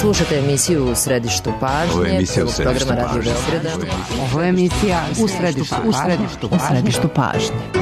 Slušate emisiju U središtu pažnje, programa Radio Beograda. Ovo je emisija U središtu pažnje.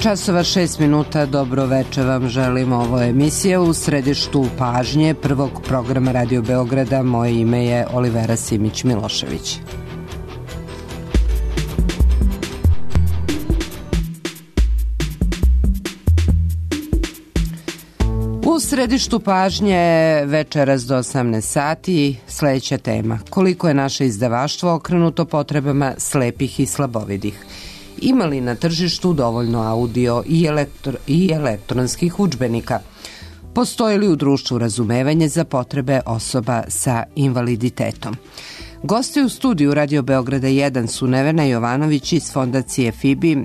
Časova 6 minuta, dobro večer vam želim. Ovo je emisija U središtu pažnje prvog programa Radio Beograda. Moje ime je Olivera Simić-Milošević. U središtu pažnje večeras do 18 sati sledeća tema. Koliko je naše izdavaštvo okrenuto potrebama slepih i slabovidih? Ima li na tržištu dovoljno audio i elektronskih udžbenika? Postoji li u društvu razumevanje za potrebe osoba sa invaliditetom? Gosti u studiju Radio Beograda 1 su Nevena Jovanović iz Fondacije FIBI.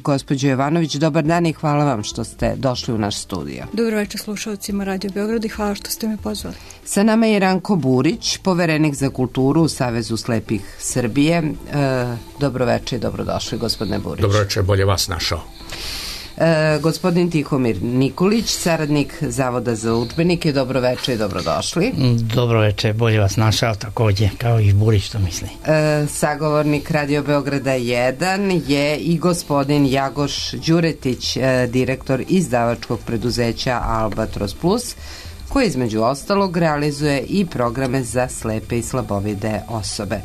Gospođo Jovanović, dobar dan i hvala vam što ste došli u naš studio. Dobro večer slušalcima Radio Beograda i hvala što ste me pozvali. Sa nama je Ranko Burić, poverenik za kulturu u Savezu slepih Srbije. Dobro večer i dobrodošli, gospodine Burić. Dobro večer, bolje vas našao. Gospodin Tihomir Nikolić, saradnik Zavoda za udžbenike, dobro večer i dobrodošli. Dobro večer, bolje vas našao takođe, kao i Burić što misli. Sagovornik Radio Beograda 1 je i gospodin Jagoš Đuretić, direktor izdavačkog preduzeća Albatros Plus, koji između ostalog realizuje i programe za slepe i slabovide osobe.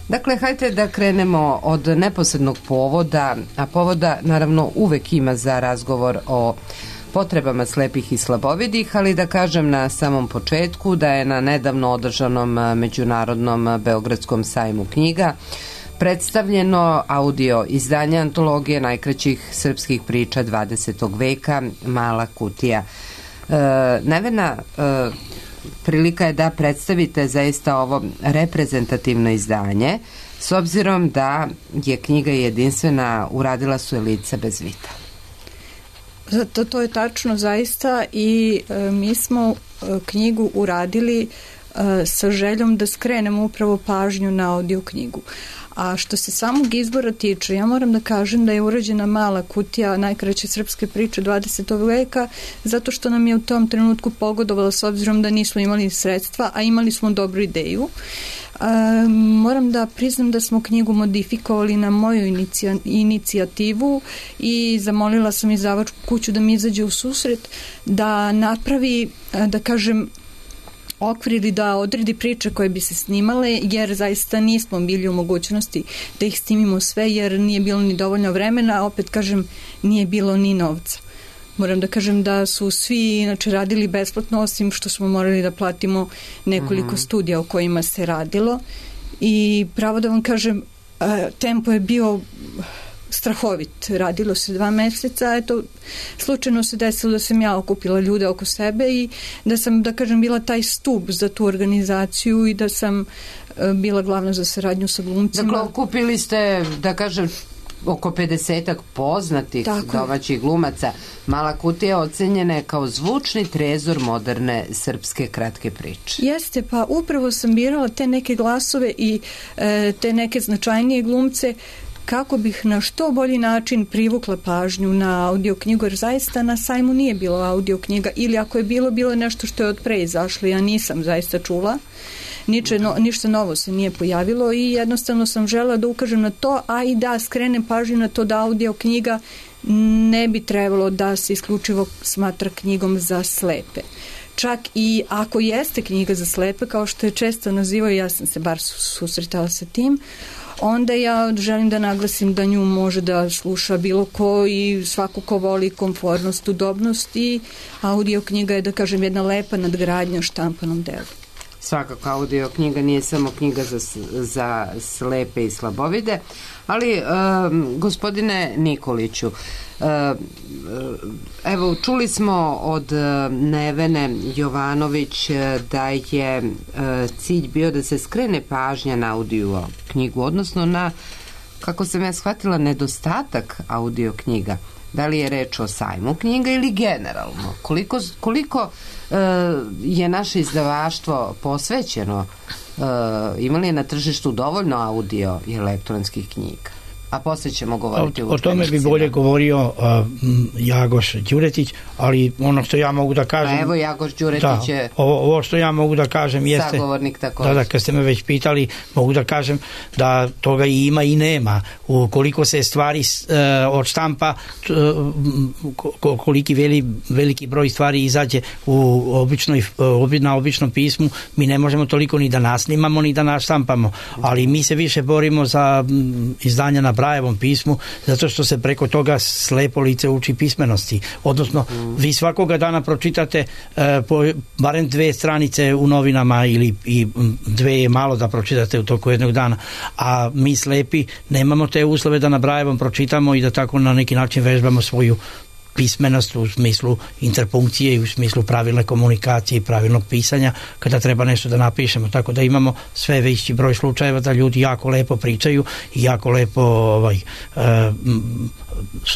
Dakle, hajde da krenemo od neposrednog povoda, a povoda naravno uvek ima za razgovor o potrebama slepih i slabovidih, ali da kažem na samom početku da je na nedavno održanom Međunarodnom Beogradskom sajmu knjiga predstavljeno audio izdanje antologije najkraćih srpskih priča 20. veka Mala kutija. Nevena, prilika je da predstavite zaista ovo reprezentativno izdanje, s obzirom da je knjiga jedinstvena, uradila su je lica bez vida. Zato to je tačno zaista i mi smo knjigu uradili sa željom da skrenemo upravo pažnju na audio knjigu. A što se samog izbora tiče, ja moram da kažem da je urađena Mala kutija najkraće srpske priče 20. veka, zato što nam je u tom trenutku pogodovalo s obzirom da nismo imali sredstva, a imali smo dobru ideju. Moram da priznam da smo knjigu modifikovali na moju inicijativu i zamolila sam izdavačku kuću da mi izađe u susret, da napravi, da kažem, okvir ili da odredi priče koje bi se snimale, jer zaista nismo bili u mogućnosti da ih snimimo sve, jer nije bilo ni dovoljno vremena, a opet kažem, nije bilo ni novca. Moram da kažem da su svi inače radili besplatno, osim što smo morali da platimo nekoliko studija o kojima se radilo. I pravo da vam kažem, tempo je bio strahovit. Radilo se 2 meseca, eto, slučajno se desilo da sam ja okupila ljude oko sebe i da sam, da kažem, bila taj stup za tu organizaciju i da sam bila glavna za saradnju sa glumcima. Dakle, okupili ste, da kažem, oko 50-ak poznatih domaćih glumaca. Mala kutija ocenjena je kao zvučni trezor moderne srpske kratke priče. Jeste, pa upravo sam birala te neke glasove i te neke značajnije glumce kako bih na što bolji način privukla pažnju na audio knjigu, jer zaista na sajmu nije bilo audio knjiga, ili ako je bilo nešto što je od pre izašlo, ja nisam zaista čula. Ništa novo se nije pojavilo i jednostavno sam želela da ukažem na to, a i da skrenem pažnju na to da audio knjiga ne bi trebalo da se isključivo smatra knjigom za slepe. Čak i ako jeste knjiga za slepe, kao što je često nazivaju, ja sam se bar susretala sa tim, onda ja želim da naglasim da nju može da sluša bilo ko i svako ko voli komfortnost, udobnost, i audio knjiga je, da kažem, jedna lepa nadgradnja štampanom delu. Svakako, audio knjiga nije samo knjiga za slepe i slabovide, ali gospodine Nikoliću, evo, čuli smo od Nevene Jovanović da je cilj bio da se skrene pažnja na audio knjigu, odnosno na, kako sam ja shvatila, nedostatak audio knjiga. Da li je reč o sajmu knjiga ili generalno? Koliko je naše izdavaštvo posvećeno, ima li je na tržištu dovoljno audio i elektronskih knjiga? A poslije ćemo govoriti o tome bi bolje govorio Jagoš Đuretić, ali ono što ja mogu da kažem... A evo, Jagoš Đuretić je... Ovo što ja mogu da kažem jeste... Sagovornik također. Da, kad ste me već pitali, mogu da kažem da toga i ima i nema. Ukoliko se stvari od štampa, koliki veliki broj stvari izađe na običnom pismu, mi ne možemo toliko ni da nasnimamo, ni da naštampamo. Ali mi se više borimo za izdanja na Brajevom pismu, zato što se preko toga slepo lice uči pismenosti. Odnosno, vi svakoga dana pročitate barem 2 stranice u novinama, ili i 2 je malo da pročitate u toku jednog dana. A mi slepi nemamo te uslove da na Brajevom pročitamo i da tako na neki način vežbamo svoju pismenost u smislu interpunkcije i u smislu pravilne komunikacije i pravilnog pisanja kada treba nešto da napišemo, tako da imamo sve veći broj slučajeva da ljudi jako lepo pričaju i jako lepo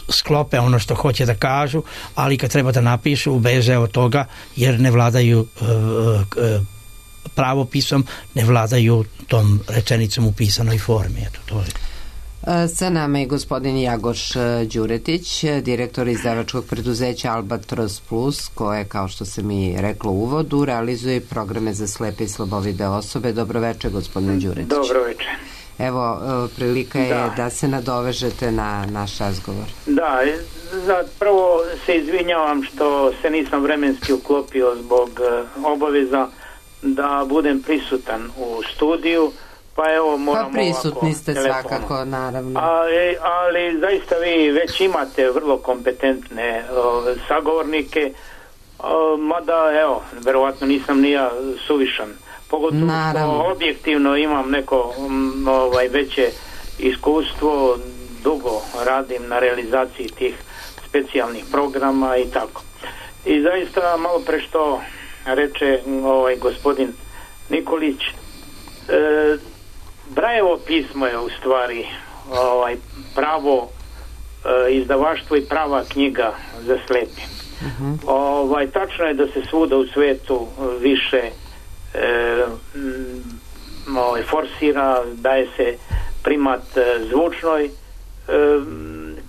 sklope ono što hoće da kažu, ali kad treba da napišu beže od toga jer ne vladaju pravopisom, ne vladaju tom rečenicom u pisanoj formi. Eto, to je. Sa nama je gospodin Jagoš Đuretić, direktor izdavačkog preduzeća Albatros Plus, koje, kao što se mi reklo u uvodu, realizuje programe za slepe i slabovide osobe. Dobroveče, gospodine Đuretić. Dobroveče. Evo, prilika je da se nadovežete na naš razgovor. Da, prvo se izvinjavam što se nisam vremenski uklopio zbog obaveza da budem prisutan u studiju. Pa evo, moram prisutni ste svakako, naravno. Ali zaista vi već imate vrlo kompetentne sagovornike, mada evo, verovatno nisam ni ja suvišan. Pogotovo što objektivno imam neko veće iskustvo, dugo radim na realizaciji tih specijalnih programa i tako. I zaista malo pre što reče gospodin Nikolić, Brajevo pismo je u stvari pravo izdavaštvo i prava knjiga za slepe. Tačno je da se svuda u svetu više forsira, daje se primat zvučnoj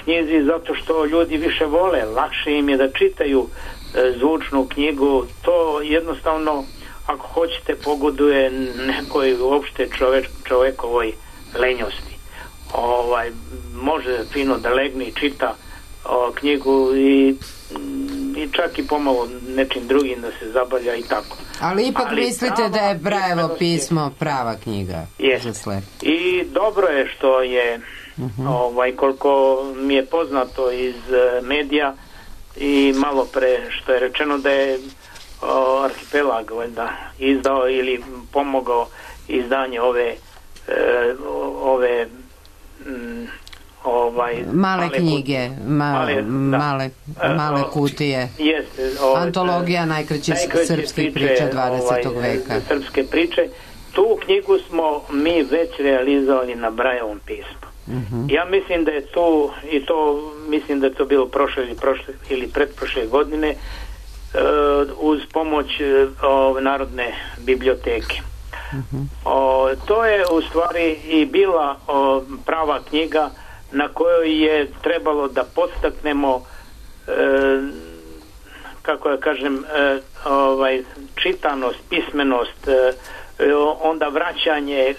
knjizi zato što ljudi više vole, lakše im je da čitaju zvučnu knjigu. To jednostavno, ako hoćete, pogoduje nekoj uopšte čovekovoj lenjosti. Može fino da legne i čita knjigu i čak i pomalo nečim drugim da se zabavlja i tako. Ali ipak mislite da je Brajevo pismo prava knjiga za slepe? I dobro je što je, koliko mi je poznato iz medija i malo pre što je rečeno da je Arhipelag izdao ili pomogao izdanje ove male knjige, male kutije, antologija najkraćih srpskih priča 20. veka. Srpske priče. Tu knjigu smo mi već realizovali na Brajevom pismu. Ja mislim da je tu, i to mislim da je to bilo prošle ili pretprošle godine, uz pomoć Narodne biblioteke. To je u stvari i bila prava knjiga na kojoj je trebalo da podstaknemo kako ja kažem čitanost, pismenost, onda vraćanje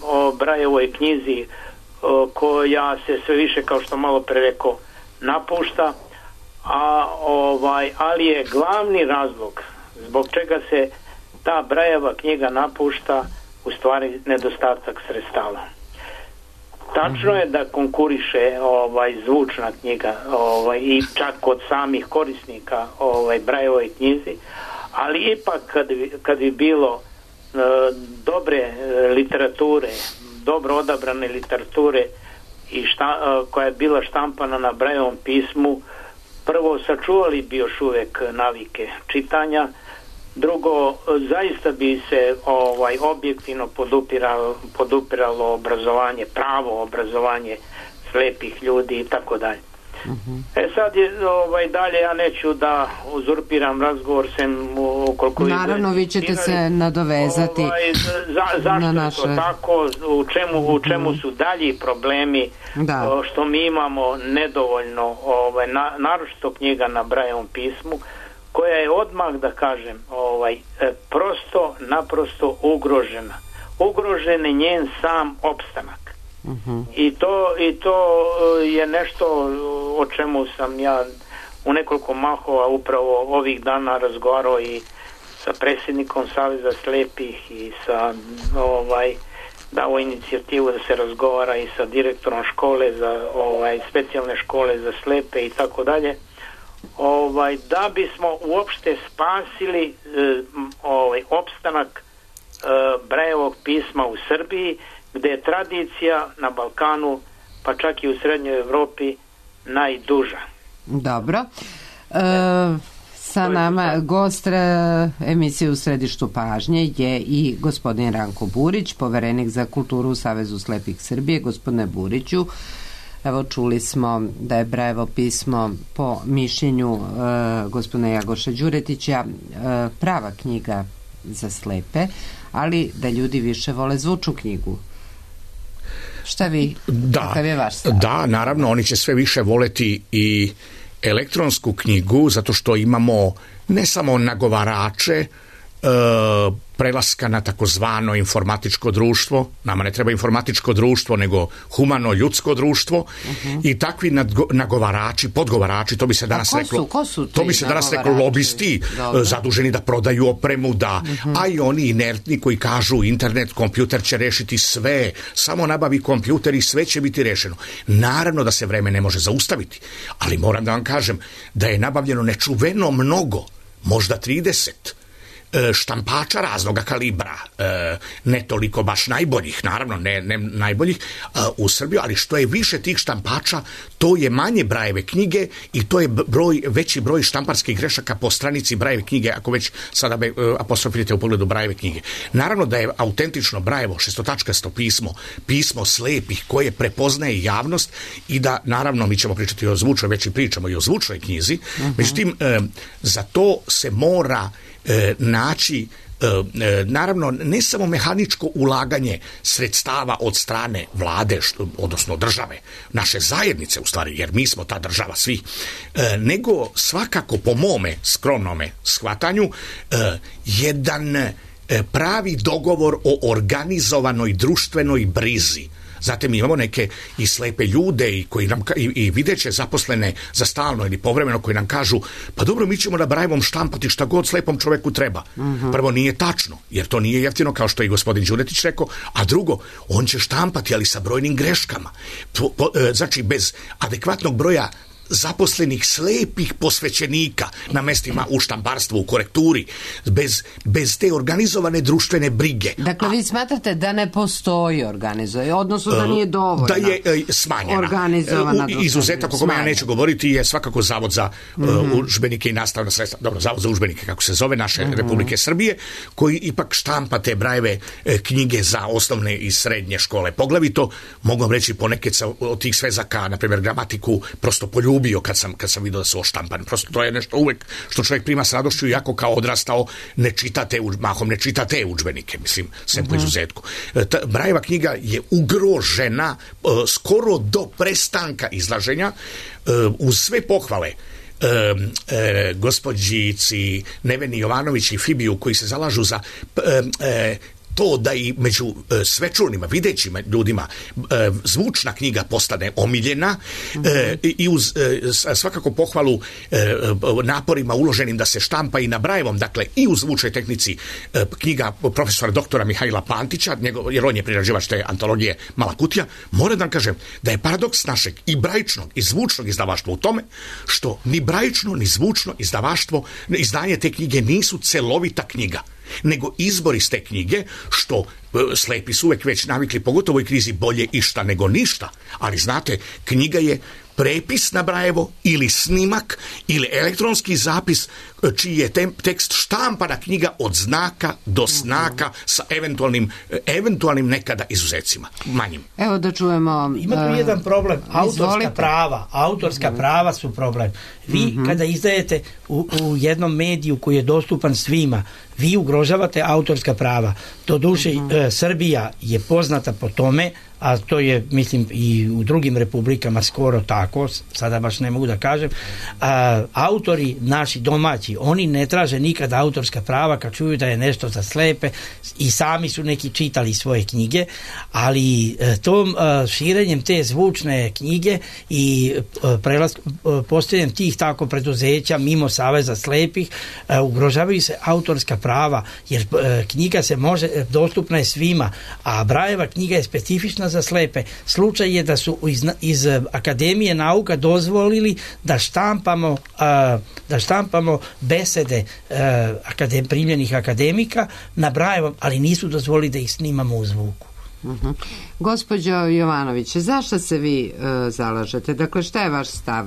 o Brajevoj knjizi koja se sve više, kao što malo pre rekao, napušta, ali je glavni razlog zbog čega se ta Brajeva knjiga napušta u stvari nedostatak sredstava. Tačno je da konkuriše zvučna knjiga i čak kod samih korisnika Brajevoj knjizi, ali ipak kad bi bilo dobre literature, dobro odabrane literature i koja je bila štampana na Brajevom pismu, prvo sačuvali bi još uvek navike čitanja, drugo zaista bi se objektivno podupiralo obrazovanje, pravo obrazovanje slepih ljudi i tako dalje. Sad je dalje, ja neću da uzurpiram razgovor sem ukoliko... Naravno, vi ćete se nadovezati zašto na naše... je to tako, u čemu su dalji problemi, što mi imamo nedovoljno naročito knjiga na Brajevom pismu, koja je odmah, da kažem, naprosto ugrožena. Ugrožen je njen sam opstanak. I to je nešto o čemu sam ja u nekoliko mahova upravo ovih dana razgovarao i sa predsjednikom Saveza slepih i sa dao inicijativu da se razgovara i sa direktorom škole za specijalne škole za slepe i tako dalje, da bismo uopšte spasili opstanak Brajevog pisma u Srbiji, gde je tradicija na Balkanu, pa čak i u Srednjoj Evropi, najduža. Dobro. Sa nama gost emisije U središtu pažnje je i gospodin Ranko Burić, poverenik za kulturu u Savezu slepih Srbije. Gospodine Buriću, evo čuli smo da je Brajevo pismo po mišljenju gospodina Jagoša Đuretića prava knjiga za slepe, ali da ljudi više vole zvučnu knjigu. Šta vi, kakav je vaš stav? Da, naravno, oni će sve više voleti i elektronsku knjigu, zato što imamo ne samo nagovarače, prelaska na takozvano informatičko društvo. Nama ne treba informatičko društvo, nego humano ljudsko društvo. I takvi nagovarači, podgovarači, to bi se danas reklo, to bi se danas reklo lobisti, zaduženi da prodaju opremu, a i oni inertni koji kažu internet, kompjuter će rešiti sve, samo nabavi kompjuter i sve će biti rešeno. Naravno da se vreme ne može zaustaviti, ali moram da vam kažem da je nabavljeno nečuveno mnogo, možda 30 štampača raznoga kalibra, ne toliko baš najboljih, naravno ne najboljih u Srbiji, ali što je više tih štampača, to je manje Brajeve knjige i to je veći broj štamparskih grešaka po stranici Brajeve knjige, ako već sada apostrofirate u pogledu Brajeve knjige. Naravno da je autentično Brajevo šestotačkasto pismo slepih koje prepoznaje javnost i da, naravno, mi ćemo pričati o zvučnoj, već i pričamo i o zvučnoj knjizi, međutim, za to se mora naći naravno ne samo mehaničko ulaganje sredstava od strane vlade, odnosno države, naše zajednice u stvari, jer mi smo ta država svi, nego svakako po mome skromnome shvatanju jedan pravi dogovor o organizovanoj društvenoj brizi. Zatim imamo neke i slepe ljude i koji nam i videće zaposlene za stalno ili povremeno koji nam kažu, pa dobro, mi ćemo na Brajevom štampati šta god slepom čoveku treba. Prvo, nije tačno, jer to nije jeftino, kao što je i gospodin Đuretić rekao, a drugo, on će štampati, ali sa brojnim greškama. Znači, bez adekvatnog broja zaposlenih slepih posvećenika na mestima u štamparstvu, u korekturi, bez te organizovane društvene brige. Dakle, vi smatrate da ne postoji organizovanje, odnosno da nije dovoljno da je smanjena. Organizovana izuzetak o kome ja neću govoriti je svakako Zavod za udžbenike i nastavna sredstva, dobro, Zavod za udžbenike, kako se zove, naše Republike Srbije, koji ipak štampa te Brajeve knjige za osnovne i srednje škole. Poglavito, mogu vam reći, ponekad od tih svezaka, na primjer gramatiku, prostopoljublje, ubio kad sam vidio da su oštampani. Prosto to je nešto uvek što čovjek prima s radošću, iako kao odrastao mahom ne čita te udžbenike, mislim, sem po izuzetku. Brajeva knjiga je ugrožena skoro do prestanka izlaženja, uz sve pohvale gospođici Neveni Jovanović i Fibiju koji se zalažu za to da i među svečanima, videćima ljudima zvučna knjiga postane omiljena i uz svakako pohvalu naporima uloženim da se štampa i na Brajevom, dakle i u zvučnoj tehnici knjiga profesora doktora Mihajla Pantića, jer on je prerađivač te antologije Mala kutija. Moram da vam kažem da je paradoks našeg i brajičnog i zvučnog izdavaštva u tome što ni brajično ni zvučno izdavaštvo, izdanje te knjige nisu celovita knjiga, nego izbor iz te knjige, što slepi su uvek već navikli, pogotovo u ovoj krizi, bolje išta nego ništa. Ali znate, knjiga je prepis na Brajevo ili snimak ili elektronski zapis čiji je tekst štampana knjiga od znaka do znaka sa eventualnim nekada izuzecima, manjim. Evo da čujemo... Ima tu jedan problem, autorska prava su problem. Vi kada izdajete u jednom mediju koji je dostupan svima, vi ugrožavate autorska prava. Doduše, Srbija je poznata po tome, a to je, mislim, i u drugim republikama skoro tako, sada baš ne mogu da kažem, autori naši domaći, oni ne traže nikada autorska prava kad čuju da je nešto za slepe, i sami su neki čitali svoje knjige, ali tom širenjem te zvučne knjige i postojanjem tih tako preduzeća mimo Saveza slepih ugrožavaju se autorska prava, jer knjiga se može, dostupna je svima, a Brajeva knjiga je specifična za slepe. Slučaj je da su iz Akademije nauka dozvolili da štampamo besede primljenih akademika na Brajevom, ali nisu dozvolili da ih snimamo u zvuku. Gospođo Jovanović, zašto se vi zalažete? Dakle, šta je vaš stav?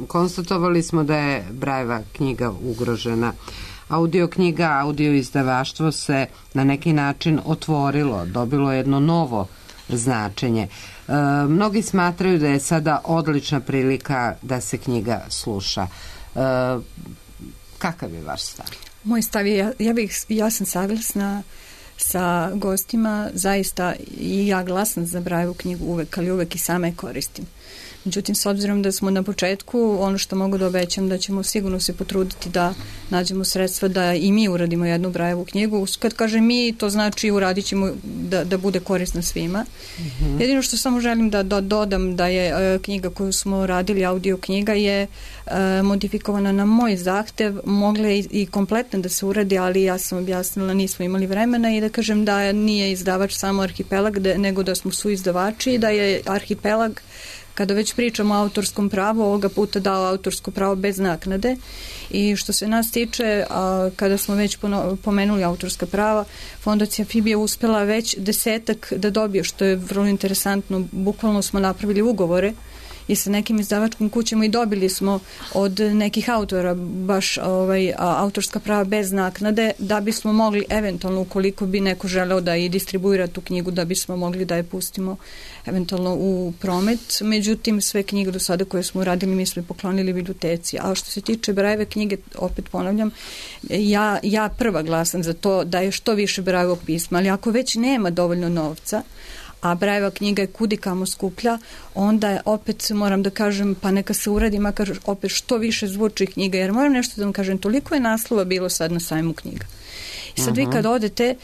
Konstatovali smo da je Brajeva knjiga ugrožena. Audio knjiga, audio izdavaštvo se na neki način otvorilo, dobilo jedno novo značenje. Mnogi smatraju da je sada odlična prilika da se knjiga sluša. Kakav je vaš stav? Moj stav je, ja sam saglasna sa gostima, zaista i ja glasam za Brajevu knjigu uvek, ali uvek i sama je koristim. Međutim, s obzirom da smo na početku, ono što mogu da obećam da ćemo sigurno se potruditi da nađemo sredstva da i mi uradimo jednu Brajevu knjigu. Kad kažem mi, to znači uradit ćemo da bude korisna svima. Jedino što samo želim da dodam da je knjiga koju smo radili, audio knjiga, je modifikovana na moj zahtev, mogla je i kompletno da se uradi, ali ja sam objasnila, nismo imali vremena, i da kažem da nije izdavač samo Arhipelag, nego da smo suizdavači i da je Arhipelag, kada već pričamo o autorskom pravu, ovoga puta dao autorsko pravo bez naknade. I što se nas tiče, kada smo već pomenuli autorska prava, Fondacija FIB je uspela već 10 da dobije, što je vrlo interesantno. Bukvalno smo napravili ugovore i sa nekim izdavačkim kućama i dobili smo od nekih autora baš autorska prava bez naknade, da bismo mogli eventualno, ukoliko bi neko želeo da i distribuira tu knjigu, da bismo mogli da je pustimo eventualno u promet. Međutim, sve knjige do sada koje smo uradili mi smo poklonili biblioteci. A što se tiče Brajeve knjige, opet ponavljam, ja prva glasam za to da je što više Brajevog pisma, ali ako već nema dovoljno novca, a Brajeva knjiga je kudikamo skuplja, onda opet moram da kažem, pa neka se uradi makar opet što više zvučnih knjiga, jer moram nešto da vam kažem, toliko je naslova bilo sad na sajmu knjiga. I sad vi kad odete,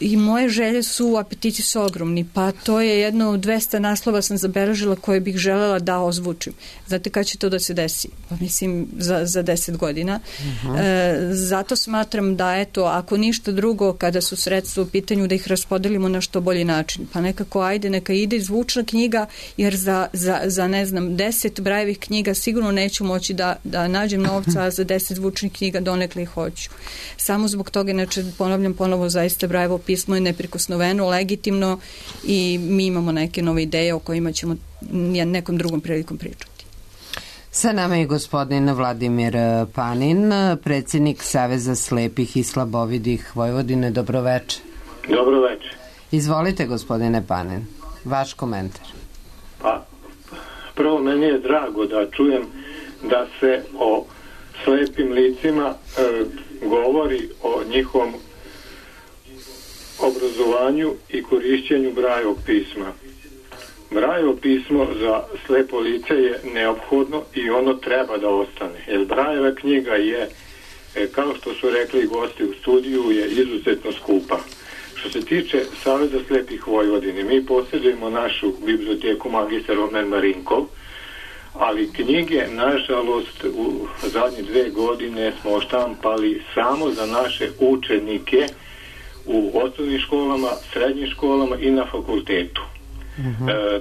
i moje želje su, apetiti su ogromni, pa to je jedno 200 naslova sam zabeležila koje bih želela da ozvučim. Znate kada će to da se desi? Pa mislim za 10 godina. Zato smatram da, eto, ako ništa drugo, kada su sredstva u pitanju, da ih raspodelimo na što bolji način. Pa nekako, ajde, neka ide zvučna knjiga, jer za ne znam, 10 Brajevih knjiga sigurno neću moći da nađem novca, a za 10 zvučnih knjiga donekle ih hoću. Samo zbog toga, inače, ponavljam ponovo, zaista Brajevo pismo je neprikosnoveno, legitimno, i mi imamo neke nove ideje o kojima ćemo nekom drugom prilikom pričati. Sa nama je gospodin Vladimir Panin, predsjednik Saveza slepih i slabovidih Vojvodine. Dobroveče. Dobroveče. Izvolite, gospodine Panin, vaš komentar. Pa, Prvo, meni je drago da čujem da se o slepim licima govori o njihovom obrazovanju i korišćenju Brajevog pisma. Brajevo pismo za slepo lice je neophodno i ono treba da ostane. Jer Brajeva knjiga je, kao što su rekli gosti u studiju, je izuzetno skupa. Što se tiče Saveza slepih Vojvodine, mi posjedujemo našu biblioteku magistar Omer Marinkov, ali knjige, nažalost, u zadnje 2 godine smo štampali samo za naše učenike u osnovnim školama, srednjim školama i na fakultetu.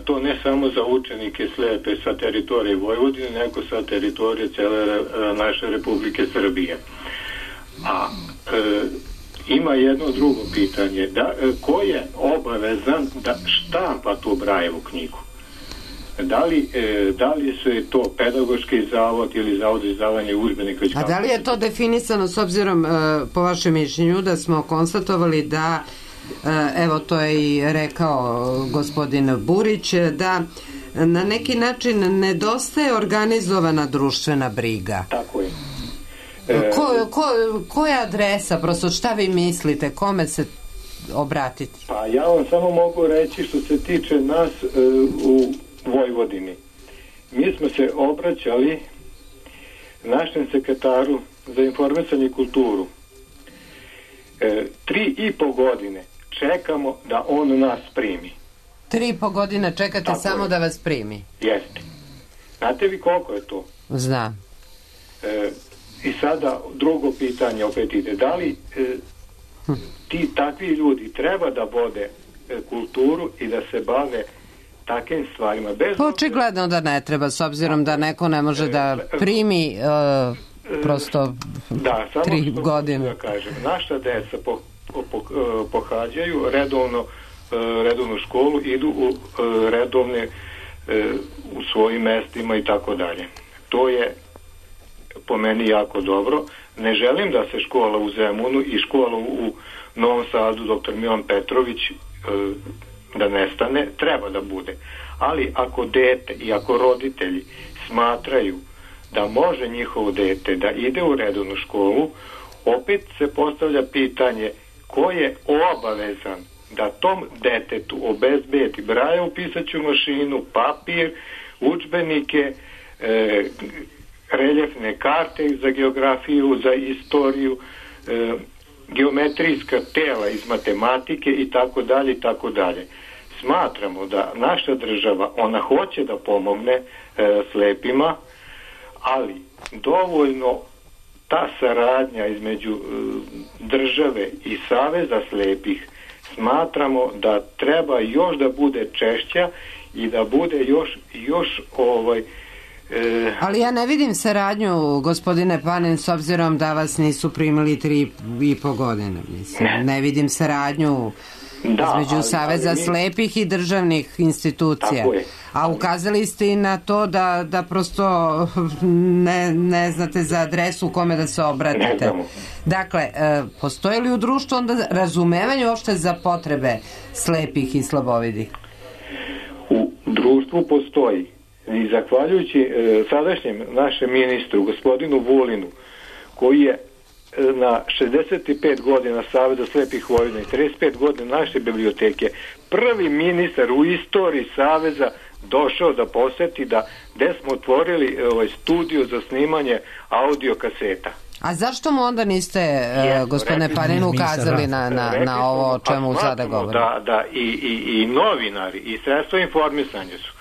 To ne samo za učenike slepe sa teritorije Vojvodine, nego sa teritorije cele naše Republike Srbije. A ima jedno drugo pitanje. Ko je obavezan da štampa tu Brajevu knjigu? Da li su je to pedagoški zavod ili zavod za izdavanje udžbenika? A da li je to definisano s obzirom, po vašem mišljenju, da smo konstatovali da, evo to je i rekao gospodin Burić, da na neki način nedostaje organizovana društvena briga? Tako je. Koja adresa, prosto šta vi mislite, kome se obratiti? Pa ja vam samo mogu reći što se tiče nas u Vojvodini. Mi smo se obraćali našem sekretaru za informisanje i kulturu. 3,5 godine čekamo da on nas primi. 3,5 godine čekate tako samo je. Da vas primi? Jeste. Znate vi koliko je to? Znam. I sada drugo pitanje opet ide. Da li ti takvi ljudi treba da vode kulturu i da se bave takvim stvarima? Očigledno da ne treba, s obzirom da neko ne može da primi prosto 3 godine. Da kažem, naša deca pohađaju redovnu školu, idu u redovne u svojim mestima i tako dalje. To je po meni jako dobro. Ne želim da se škola u Zemunu i škola u Novom Sadu dr. Milan Petrović da nestane, treba da bude. Ali ako dete i ako roditelji smatraju da može njihovo dete da ide u redovnu školu, opet se postavlja pitanje ko je obavezan da tom detetu obezbedi Brajevu pisaću mašinu, papir, udžbenike, reljefne karte za geografiju, za istoriju, geometrijska tela iz matematike i tako dalje i tako dalje. Smatramo da naša država, ona hoće da pomogne slepima, ali dovoljno ta saradnja između države i Saveza slepih smatramo da treba još da bude češća i da bude još ali ja ne vidim saradnju, gospodine Panin, s obzirom da vas nisu primili 3,5 godine. Mislim. Ne vidim saradnju između Saveza slepih i državnih institucija. A ukazali ste i na to da prosto ne znate za adresu u kome da se obratite. Dakle, postoji li u društvu onda razumevanje uopšte za potrebe slepih i slabovidih? U društvu postoji. I zahvaljujući sadašnjem našem ministru, gospodinu Vulinu, koji je na 65 godina Saveza slepih Vojvodine i 35 godina naše biblioteke, prvi ministar u istoriji Saveza došao da poseti gde smo otvorili studio za snimanje audio kaseta. A zašto mu onda niste, gospodine Panin, ukazali na ovo o čemu sada govorimo? Da i novinari i sredstva informisanja su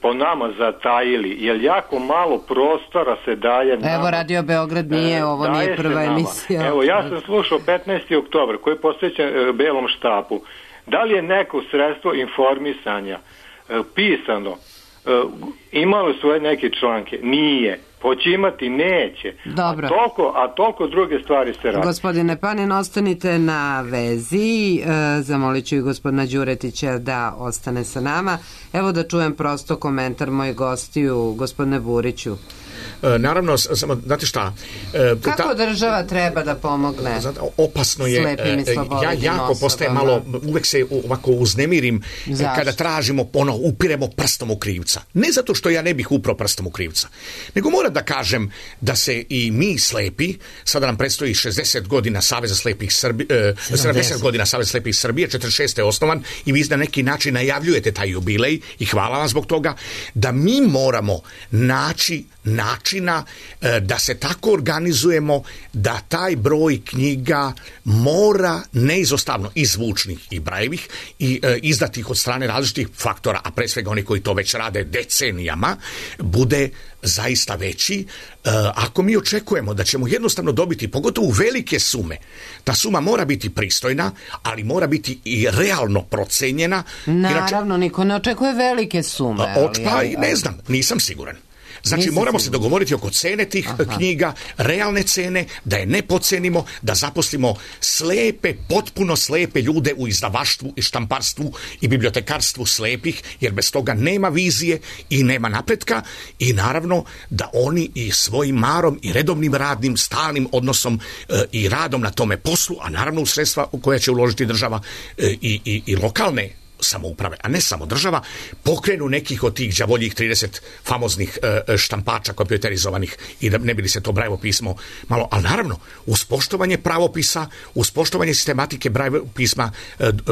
po nama zatajili, jer jako malo prostora se daje nama. Evo, Radio Beograd nije, ovo nije prva emisija. Evo, ja sam slušao 15. oktobar koji je posvećen Belom štapu. Da li je neko sredstvo informisanja pisano imalo svoje neke članke? Nije. Hoće imati, neće. Dobro. A toliko druge stvari se radi. Gospodine Panin, ostanite na vezi. Zamolit ću i gospodina Đuretića da ostane sa nama. Evo da čujem prosto komentar mojih gostiju, gospodine Buriću. naravno, samo, znate šta... Kako država treba da pomogne opasno je, slepim i slabovidim jako postaje malo, uvek se ovako uznemirim kada tražimo, upiremo prstom u krivca. Ne zato što ja ne bih uprao prstom u krivca, nego moram da kažem da se i mi slepi, sada nam predstoji 60 godina Saveza slepih Srbije, 70 godina Saveza slepih Srbije, 46. je osnovan i vi na neki način najavljujete taj jubilej i hvala vam zbog toga, da mi moramo naći načina da se tako organizujemo da taj broj knjiga mora neizostavno i zvučnih i brajevih i izdatih od strane različitih faktora, a pre svega oni koji to već rade decenijama, bude zaista veći. Ako mi očekujemo da ćemo jednostavno dobiti, pogotovo velike sume, ta suma mora biti pristojna, ali mora biti i realno procenjena. Naravno, niko ne očekuje velike sume. Ne znam, nisam siguran. Znači, moramo se dogovoriti oko cene tih knjiga, realne cene, da je ne podcenimo, da zaposlimo slepe, potpuno slepe ljude u izdavaštvu i štamparstvu i bibliotekarstvu slepih, jer bez toga nema vizije i nema napretka, i naravno da oni i svojim marom i redovnim radnim, stalnim odnosom i radom na tome poslu, a naravno u sredstva u koje će uložiti država i lokalne samouprave, a ne samo država, pokrenu nekih od tih đavoljih 30 famoznih štampača kompjuterizovanih i da ne bi li se to Brajevo pismo malo, ali naravno uz poštovanje pravopisa, uz poštovanje sistematike Brajevo pisma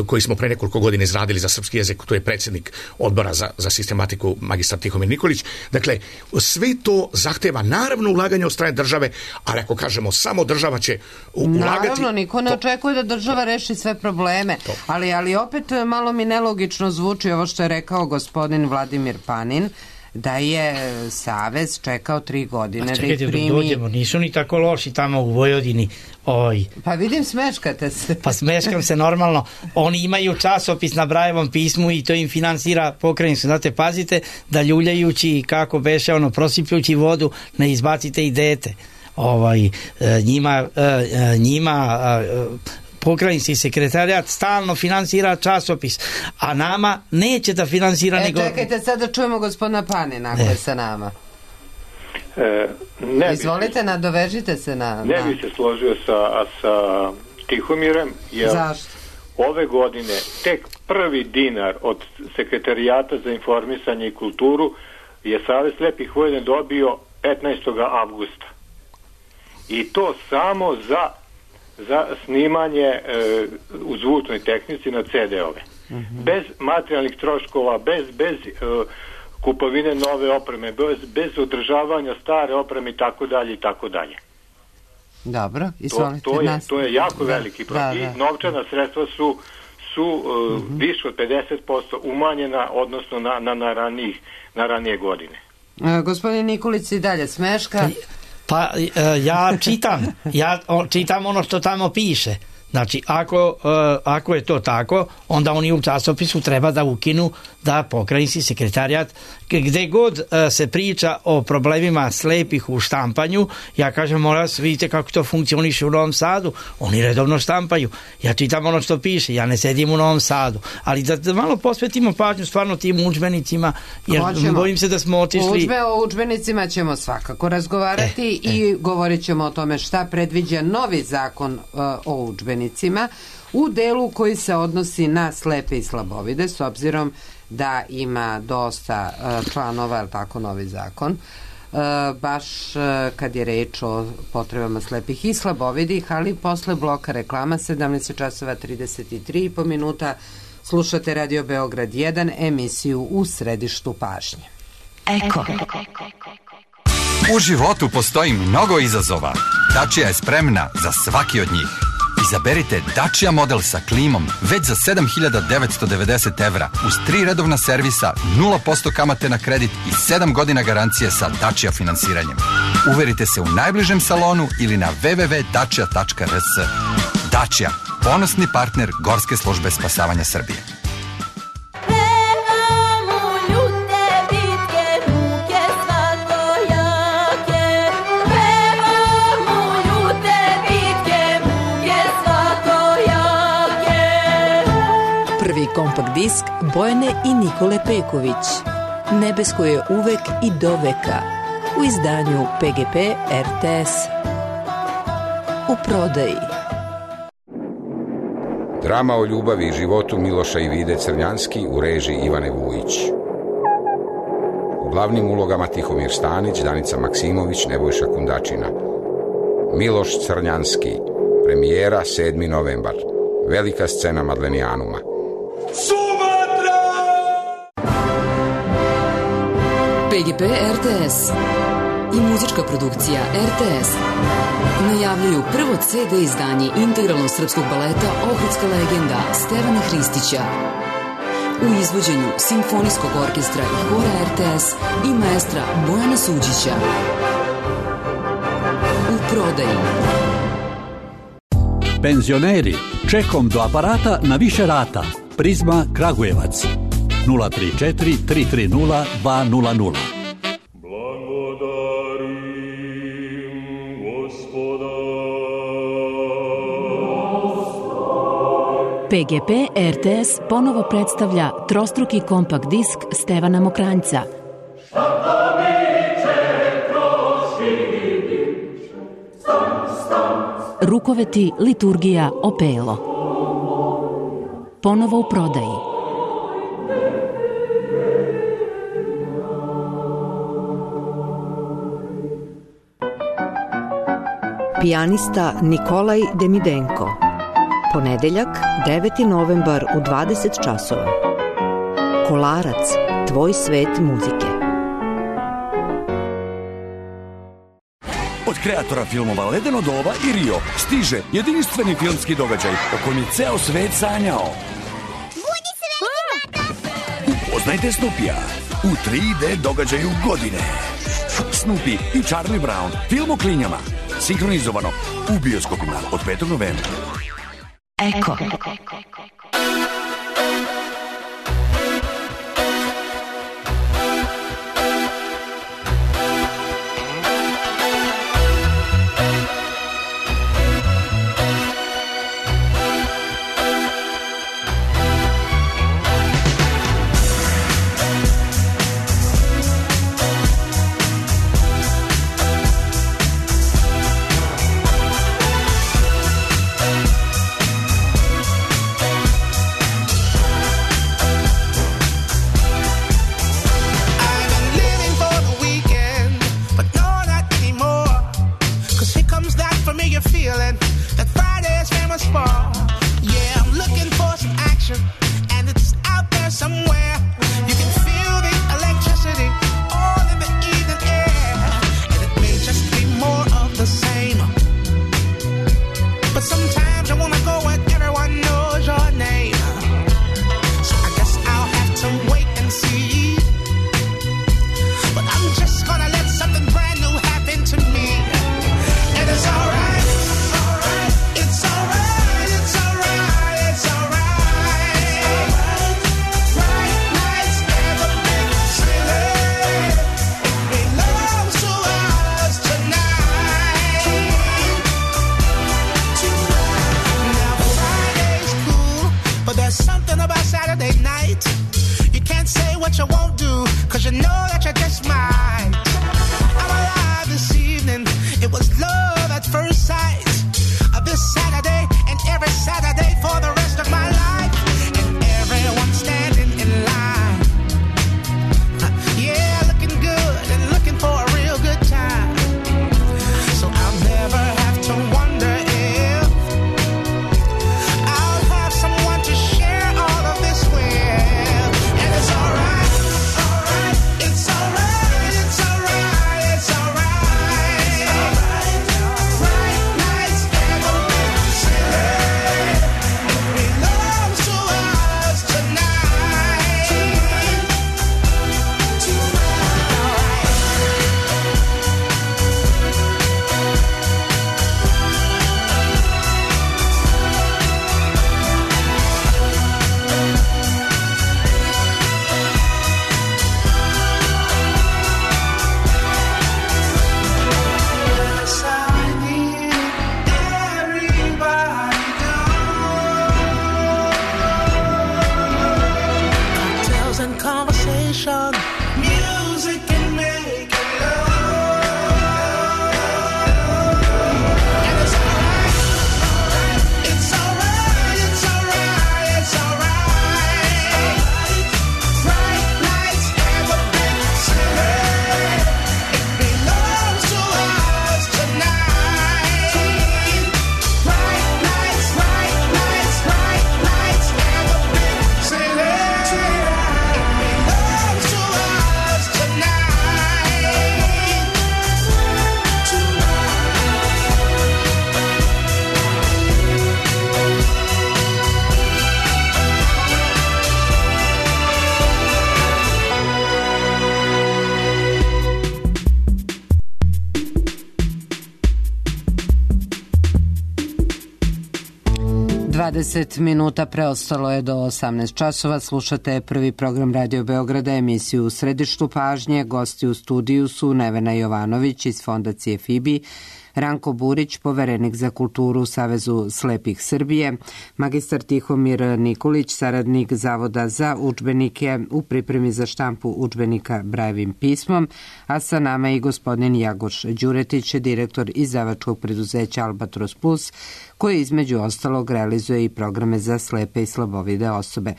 koji smo pre nekoliko godina izradili za srpski jezik, to je predsjednik odbora za sistematiku magistar Tihomir Nikolić. Dakle, sve to zahteva naravno ulaganje od strane države, ali ako kažemo samo država će ulagati... Naravno, niko ne očekuje da država reši sve probleme, ali opet malo mi nelogično zvuči ovo što je rekao gospodin Vladimir Panin, da je Savez čekao 3 godine da ih primi. Dođemo, nisu ni tako loši tamo u Vojvodini. Pa vidim, smeškate se. Pa smeškam se normalno. Oni imaju časopis na Brajevom pismu i to im finansira pokrajinsko. Znate, pazite da ljuljajući, kako beše, prosipljući vodu, ne izbacite i dete. Njima pokrajinski sekretarijat stalno finansira časopis, a nama neće da finansira nego... Čekajte, sad da čujemo gospodina Panina ako je sa nama. Izvolite, nadovežite se na... Ne bi se složio sa Tihomirem, jer zašto? Ove godine tek prvi dinar od sekretarijata za informisanje i kulturu je Savez slepih Vojvodine dobio 15. avgusta. I to samo za snimanje u zvučnoj tehnici na CD-ove. Bez materijalnih troškova, bez kupovine nove opreme, bez održavanja stare opreme i tako dalje. Dobro, izvolite. To je jako veliki problem. I novčana sredstva su više od 50% umanjena odnosno na ranije godine. Gospodin Nikolić i dalje smeška. Pa ja čitam ono što tamo piše. Znači, ako je to tako, onda oni u časopisu treba da ukinu da pokrajinski sekretarijat, gde god se priča o problemima slepih u štampanju, ja kažem, vidite kako to funkcioniše u Novom Sadu, oni redovno štampaju, ja čitam ono što piše, ja ne sedim u Novom Sadu, ali da malo posvetimo pažnju stvarno tim udžbenicima, jer bojim se da smo otišli... O udžbenicima ćemo svakako razgovarati i govorit ćemo o tome šta predviđa novi zakon o udžbenicima u delu koji se odnosi na slepe i slabovide, s obzirom da ima dosta članova, je tako, novi zakon, baš kad je reč o potrebama slepih i slabovidih, ali posle bloka reklama 17:33 slušate Radio Beograd 1, emisiju U središtu pažnje. Eko. U životu postoji mnogo izazova. Dacia je spremna za svaki od njih. Izaberite Dacia model sa klimom već za 7.990 evra uz 3 redovna servisa, 0% kamate na kredit i 7 godina garancije sa Dacia finansiranjem. Uverite se u najbližem salonu ili na www.dacia.rs. Dacia, ponosni partner Gorske službe spasavanja Srbije. Kompakt disk Bojane i Nikole Peković. Nebesko je uvek i do veka. u izdanju PGP RTS. U prodaji. Drama o ljubavi i životu Miloša i Vide Crnjanski u režiji Ivane Vujić. U glavnim ulogama Tihomir Stanić, Danica Maksimović, Nebojša Kundačina. Miloš Crnjanski. Premijera 7. novembar. Velika scena Madlenijanuma. Sumatra! PGP RTS i muzička produkcija RTS najavljuju prvo CD izdanje integralnog srpskog baleta Ohridska legenda Stevana Hristića u izvođenju Simfonijskog orkestra i hora RTS i maestra Bojana Suđića. U prodaji. Penzioneri, čekom do aparata na više rata. Prizma Kragujevac 034 330 200. PGP RTS ponovo predstavlja trostruki kompakt disk Stevana Mokranjca. Rukoveti, liturgija, opelo. Ponovo u prodaji. Pijanista Nikolaj Demidenko. Ponedeljak, 9. novembar u 20 časova. Kolarac, tvoj svet muzike. Od kreatora filmova Ledeno doba i Rio stiže jedinstveni filmski događaj o kojem je ceo svet sanjao. Budi srećni, tata! Upoznajte Snoopija u 3D događaju godine. Snoopy i Charlie Brown, film o klinjama. Sinkronizovano u bioskopima od 5. novembra. Eko. conversation, music can make it love. 20 minuta preostalo je do 18 časova. Slušate prvi program Radio Beograda, emisiju U središtu pažnje. Gosti u studiju su Nevena Jovanović iz Fondacije FIBI, Ranko Burić, poverenik za kulturu u Savezu slepih Srbije, magistar Tihomir Nikolić, saradnik Zavoda za udžbenike u pripremi za štampu udžbenika Brajevim pismom, a sa nama i gospodin Jagoš Đuretić, direktor izdavačkog preduzeća Albatros Plus, koji između ostalog realizuje i programe za slepe i slabovide osobe.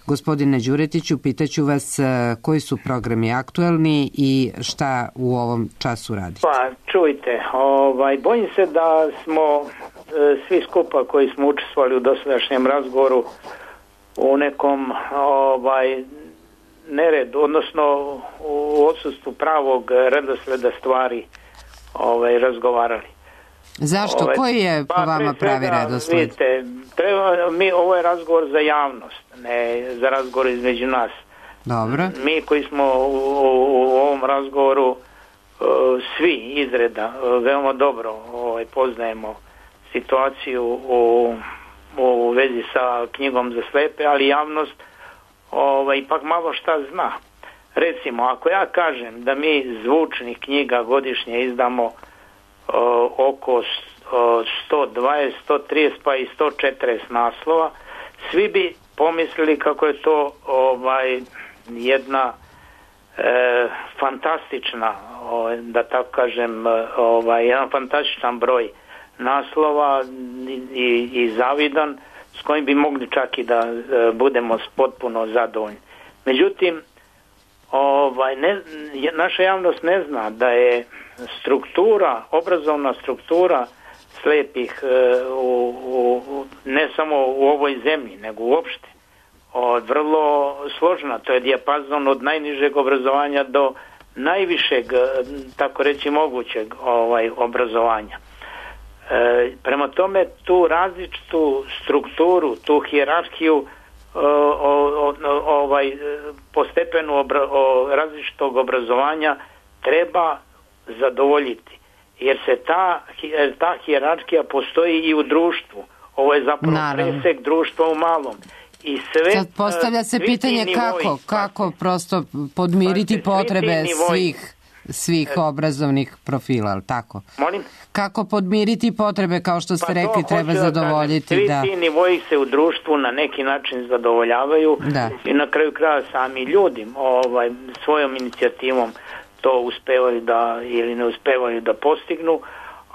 Gospodine Đuretiću, pitaću vas koji su programi aktuelni i šta u ovom času radite? Pa, čujte, bojim se da smo svi skupa koji smo učestvovali u dosadašnjem razgovoru u nekom neredu, odnosno u odsustvu pravog redosleda stvari razgovarali. Zašto? Koji je po vama pravi redosled? Vidite, ovo je razgovor za javnost, ne za razgovor između nas. Dobro. Mi koji smo u ovom razgovoru svi izreda veoma dobro poznajemo situaciju u vezi sa knjigom za slepe, ali javnost ipak malo šta zna. Recimo, ako ja kažem da mi zvučnih knjiga godišnje izdamo oko 120, 130 pa i 140 naslova, svi bi pomislili kako je to jedna fantastična, da tako kažem, jedan fantastičan broj naslova i zavidan, s kojim bi mogli čak i da budemo potpuno zadovoljni. Međutim, naša javnost ne zna da je obrazovna struktura slepih ne samo u ovoj zemlji, nego uopšte vrlo složena. To je dijapazon od najnižeg obrazovanja do najvišeg, tako reći, mogućeg obrazovanja. Prema tome, tu različitu strukturu, tu hijerarhiju postepenu različitog obrazovanja treba zadovoljiti, jer se ta hijerarhija postoji i u društvu. Ovo je zapravo presek društva u malom. I sve, sad postavlja se pitanje kako prosto podmiriti potrebe svih obrazovnih profila, ali tako? Molim? Kako podmiriti potrebe, kao što ste rekli, treba zadovoljiti. Svi ti nivoji se u društvu na neki način zadovoljavaju i na kraju kraja sami ljudi svojom inicijativom to uspevaju ili ne uspevaju da postignu,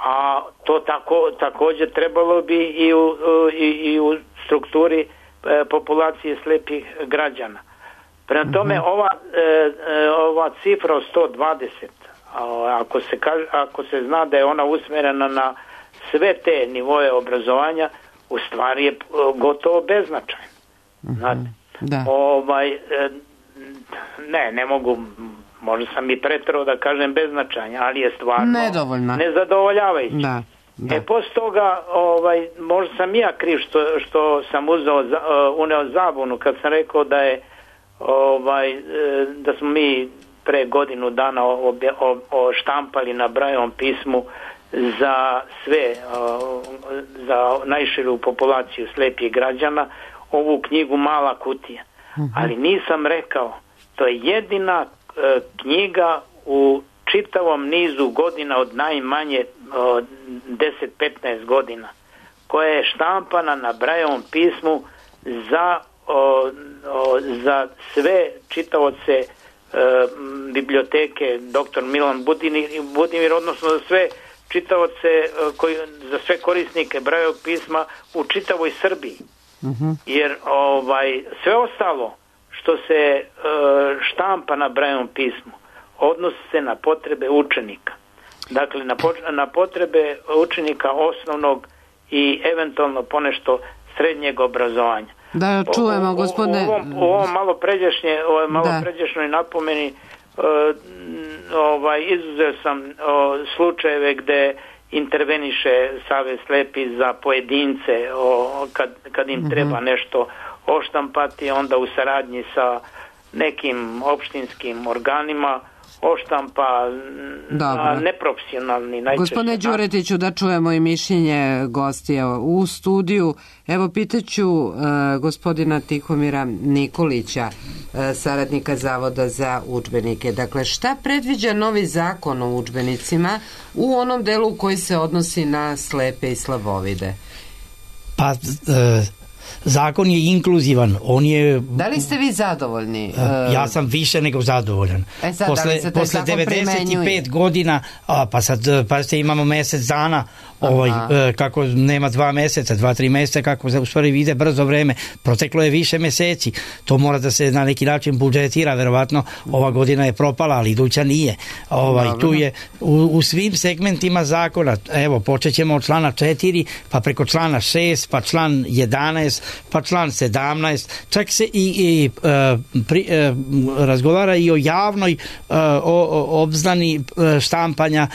a to također trebalo bi i u strukturi populacije slepih građana. Prema tome, ova cifra od 120, ako se zna da je ona usmjerena na sve te nivoje obrazovanja, u stvari je gotovo beznačajna. Ne mogu, možda sam i preterao da kažem beznačajna, ali je stvarno nezadovoljavajuća. Poslije toga, možda sam ja kriv što sam uneo zabunu kad sam rekao da smo mi pre godinu dana štampali na Brajevom pismu za sve, za najširu populaciju slepih građana, ovu knjigu Mala kutija. Ali nisam rekao, to je jedina knjiga u čitavom nizu godina od najmanje 10-15 godina koja je štampana na Brajevom pismu za sve čitaoce biblioteke dr. Milan Budimir, odnosno za sve čitaoce, za sve korisnike Brajevog pisma u čitavoj Srbiji. Jer sve ostalo što se štampa na Brajevom pismu odnosi se na potrebe učenika. Dakle, na potrebe učenika osnovnog i eventualno ponešto srednjeg obrazovanja. Da čujemo, gospodine... U ovom malo pređašnjoj napomeni izuzeo sam slučajeve gde interveniše Savez slepih za pojedince kad im treba nešto oštampati, onda u saradnji sa nekim opštinskim organima oštampa na neprofesionalni najčešće. Gospodine Đuretiću, da čujemo i mišljenje gostija u studiju. Evo, pitaću gospodina Tihomira Nikolića, saradnika Zavoda za udžbenike. Dakle, šta predviđa novi zakon o udžbenicima u onom delu koji se odnosi na slepe i slabovide? Pa, zakon je inkluzivan. On je... Da li ste vi zadovoljni? Ja sam više nego zadovoljan. Sad, posle 95 godina, pa sad imamo mesec dana, kako nema 2 meseca, 2-3 meseca, kako u stvari vide brzo vreme. Proteklo je više meseci. To mora da se na neki način budžetira. Verovatno ova godina je propala, ali iduća nije. Tu je u svim segmentima zakona. Evo, počet ćemo od člana 4, pa preko člana 6, pa član 11, pa član 17. Čak se razgovara i o javnoj obznani štampanja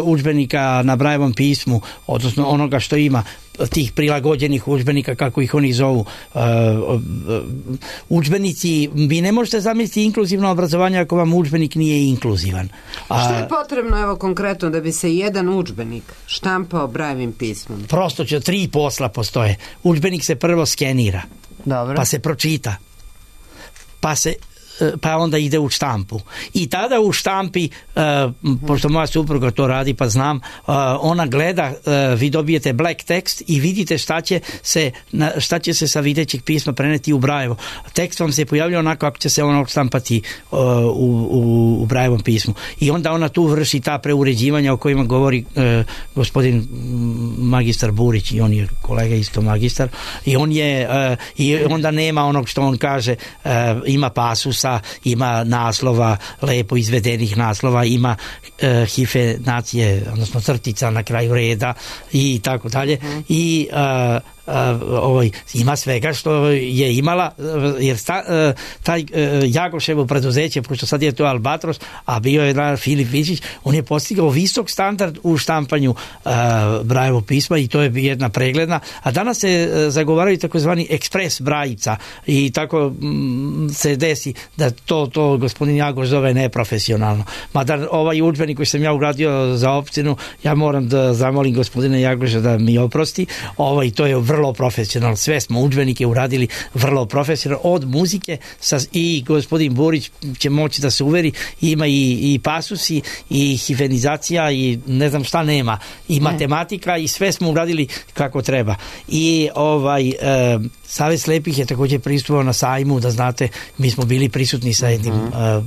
udžbenika na Brajevom pismu, odnosno onoga što ima, tih prilagođenih udžbenika, kako ih oni zovu. Udžbenici, vi ne možete zamisliti inkluzivno obrazovanje ako vam udžbenik nije inkluzivan. Što je potrebno, evo konkretno, da bi se jedan udžbenik štampao Brajevim pismom? Prosto 3 posla postoje. Udžbenik se prvo skenira, pa se pročita, pa onda ide u štampu. I tada u štampi, pošto moja supruga to radi, pa znam, ona gleda, vi dobijete black text i vidite šta će se sa videćeg pisma preneti u Brajevo. Tekst vam se pojavlja onako kako će se ono štampati u Brajevom pismu. I onda ona tu vrši ta preuređivanja o kojima govori gospodin magistar Burić, i on je kolega isto magistar, i on je i onda nema onog što on kaže, ima pasusa, ima naslova, lepo izvedenih naslova, ima hifenacije, odnosno crtica na kraju reda i tako dalje. I ima svega što je imala, jer taj Jagoševo preduzeće, pošto sad je to Albatros, a bio je Filip Vičić, on je postigao visok standard u štampanju Brajevo pisma i to je jedna pregledna, a danas se zagovaraju takozvani ekspres Brajica i tako se desi da to gospodin Jagoš zove neprofesionalno. Mada ovaj udžbenik koji sam ja uradio za opštinu, ja moram da zamolim gospodina Jagoša da mi oprosti, to je vrlo profesionalno. Sve smo udžbenike uradili vrlo profesionalno, od muzike i gospodin Borić će moći da se uveri, ima i pasusi i hifenizacija i ne znam šta nema, i matematika, i sve smo uradili kako treba. I Savez slepih je također pristupao na sajmu, da znate, mi smo bili prisutni sa jednim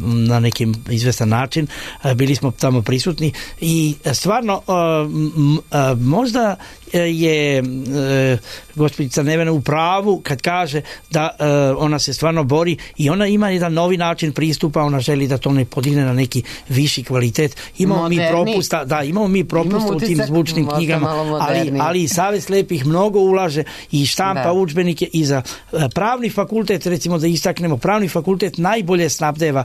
na nekim izvestan način, bili smo tamo prisutni i stvarno možda je gospođica Nevena u pravu kad kaže da ona se stvarno bori i ona ima jedan novi način pristupa, ona želi da to ne podigne na neki viši kvalitet. Imamo mi propusta u tim zvučnim knjigama, ali Savez slepih mnogo ulaže i štampa udžbenike i za pravni fakultet, recimo da istaknemo, pravni fakultet najbolje snabdeva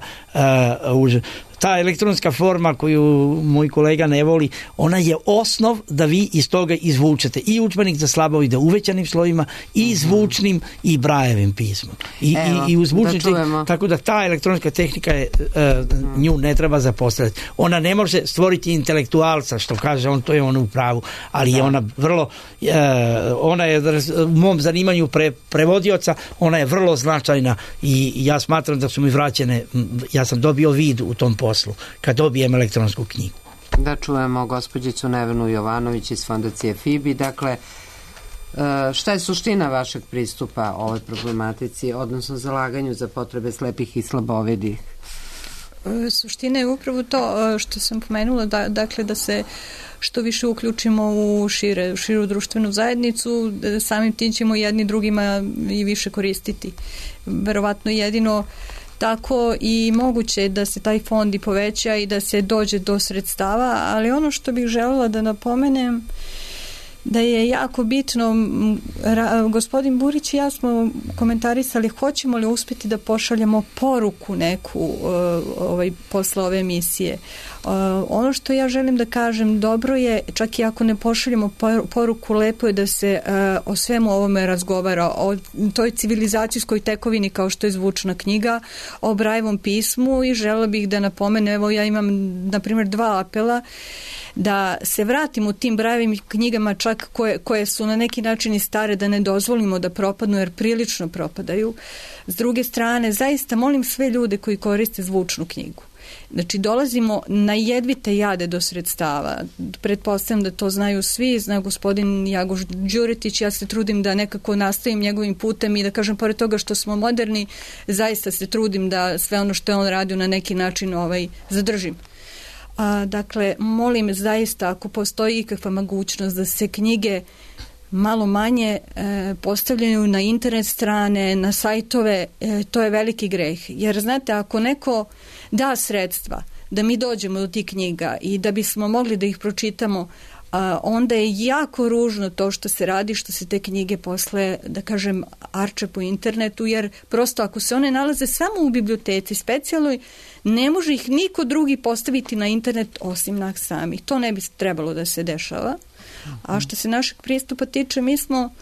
ta elektronska forma koju moj kolega ne voli, ona je osnov da vi iz toga izvučete i udžbenik za slabovide uvećanim slovima i zvučnim i Brajevim pismom. I u zvučnim, tako da ta elektronska tehnika je, nju ne treba zapostaviti. Ona ne može stvoriti intelektualca, što kaže on, to je on u pravu, ali je ona vrlo ona je u mom zanimanju prevodioca, ona je vrlo značajna i ja smatram da su mi vraćene, ja sam dobio vid u tom poslu kad dobijem elektronsku knjigu. Da čujemo gospođicu Nevenu Jovanović iz fondacije FIBI. Dakle, šta je suština vašeg pristupa ovoj problematici, odnosno zalaganju za potrebe slepih i slabovidih? Suština je upravo to što sam pomenula, dakle da se što više uključimo u širu društvenu zajednicu, samim tim ćemo jedni drugima i više koristiti. Verovatno jedino tako i moguće da se taj fond i poveća i da se dođe do sredstava, ali ono što bih željela da napomenem da je jako bitno, gospodin Burić i ja smo komentarisali hoćemo li uspjeti da pošaljemo poruku neku posle ove emisije. Ono što ja želim da kažem, dobro je, čak i ako ne pošaljemo poruku, lepo je da se o svemu ovome razgovara, o toj civilizacijskoj tekovini kao što je zvučna knjiga, o Brajevom pismu, i želela bih da napomenem, evo ja imam na primjer 2 apela, da se vratimo tim Brajevim knjigama, čak koje su na neki način i stare, da ne dozvolimo da propadnu, jer prilično propadaju. S druge strane, zaista molim sve ljude koji koriste zvučnu knjigu. Znači, dolazimo na jedvite jade do sredstava. Pretpostavljam da to znaju svi, zna gospodin Jagoš Đuretić, ja se trudim da nekako nastavim njegovim putem i da kažem, pored toga što smo moderni, zaista se trudim da sve ono što je on radio na neki način zadržim. Dakle, molim zaista, ako postoji ikakva mogućnost da se knjige malo manje postavljaju na internet strane, na sajtove, to je veliki greh. Jer znate, ako neko da sredstva da mi dođemo do tih knjiga i da bismo mogli da ih pročitamo, onda je jako ružno to što se radi, što se te knjige posle, da kažem, arče po internetu, jer prosto ako se one nalaze samo u biblioteci specijalnoj, ne može ih niko drugi postaviti na internet osim nas samih. To ne bi trebalo da se dešava. A što se našeg pristupa tiče, mi smo